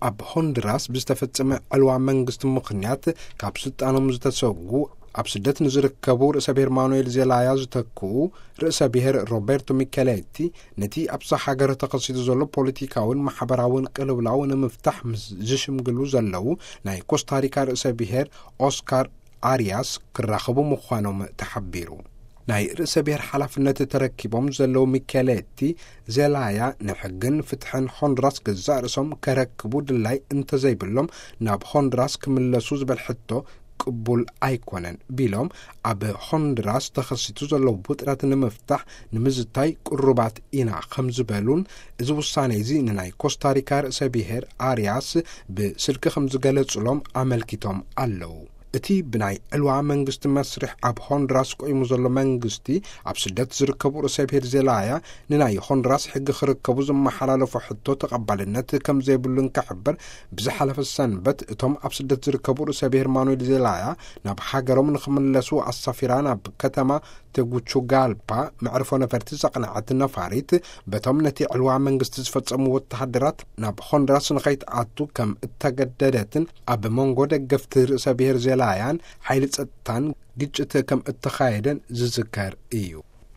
ኣብ ሆንድራስ ብዝተፈጸመ ዕልዋ መንግስቲ ምኽንያት ካብ ስልጣኖም ዝተሰጉ ኣብ ስደት ንዝርከቡ ርእሰ ብሔር ማኑኤል ዜላያ ዝተክኡ ርእሰ ብሔር ሮቤርቶ ሚኬሌቲ፣ ነቲ ኣብዛ ሃገር ተኸሲቱ ዘሎ ፖለቲካውን ማሕበራውን ቅልውላው ንምፍታሕ ምስ ዝሽምግሉ ዘለዉ ናይ ኮስታሪካ ርእሰ ብሔር ኦስካር ኣርያስ ክራኸቡ ምዃኖም ተሓቢሩ። ናይ ርእሰ ብሔር ሓላፍነት ተረኪቦም ዘለዉ ሚኬሌቲ ዜላያ ንሕግን ፍትሕን ሆንድራስ ገዛእ ርእሶም ከረክቡ ድላይ እንተዘይብሎም ናብ ሆንድራስ ክምለሱ ዝበል ሕቶ ቅቡል ኣይኮነን ቢሎም፣ ኣብ ሆንድራስ ተኸሲቱ ዘለዉ ውጥረት ንምፍታሕ ንምዝታይ ቅሩባት ኢና ከም ዝበሉን፣ እዚ ውሳኔ እዚ ንናይ ኮስታሪካ ርእሰ ብሔር ኣርያስ ብስልኪ ከም ዝገለጹሎም ኣመልኪቶም ኣለዉ። እቲ ብናይ ዕልዋ መንግስቲ መስርሕ ኣብ ሆንድራስ ቆይሙ ዘሎ መንግስቲ፣ ኣብ ስደት ዝርከቡ ርእሰ ብሔር ዜላያ ንናይ ሆንድራስ ሕጊ ክርከቡ ዝመሓላለፎ ሕቶ ተቐባልነት ከም ዘይብሉን ክሕብር፣ ብዝሓለፈ ሰንበት እቶም ኣብ ስደት ዝርከቡ ርእሰ ብሔር ማኑኤል ዜላያ ናብ ሃገሮም ንኽምለሱ ኣሳፊራ ናብ ከተማ ቴጉቹጋልፓ መዕርፎ ነፈርቲ ዘቕነዐት ነፋሪት፣ በቶም ነቲ ዕልዋ መንግስቲ ዝፈጸሙ ወተሃደራት ናብ ሆንድራስ ንኸይትኣቱ ከም እተገደደትን፣ ኣብ መንጎ ደገፍቲ ርእሰ ብሔር ዜላያን ሓይሊ ጸጥታን ግጭት ከም እተኻየደን ዝዝከር እዩ።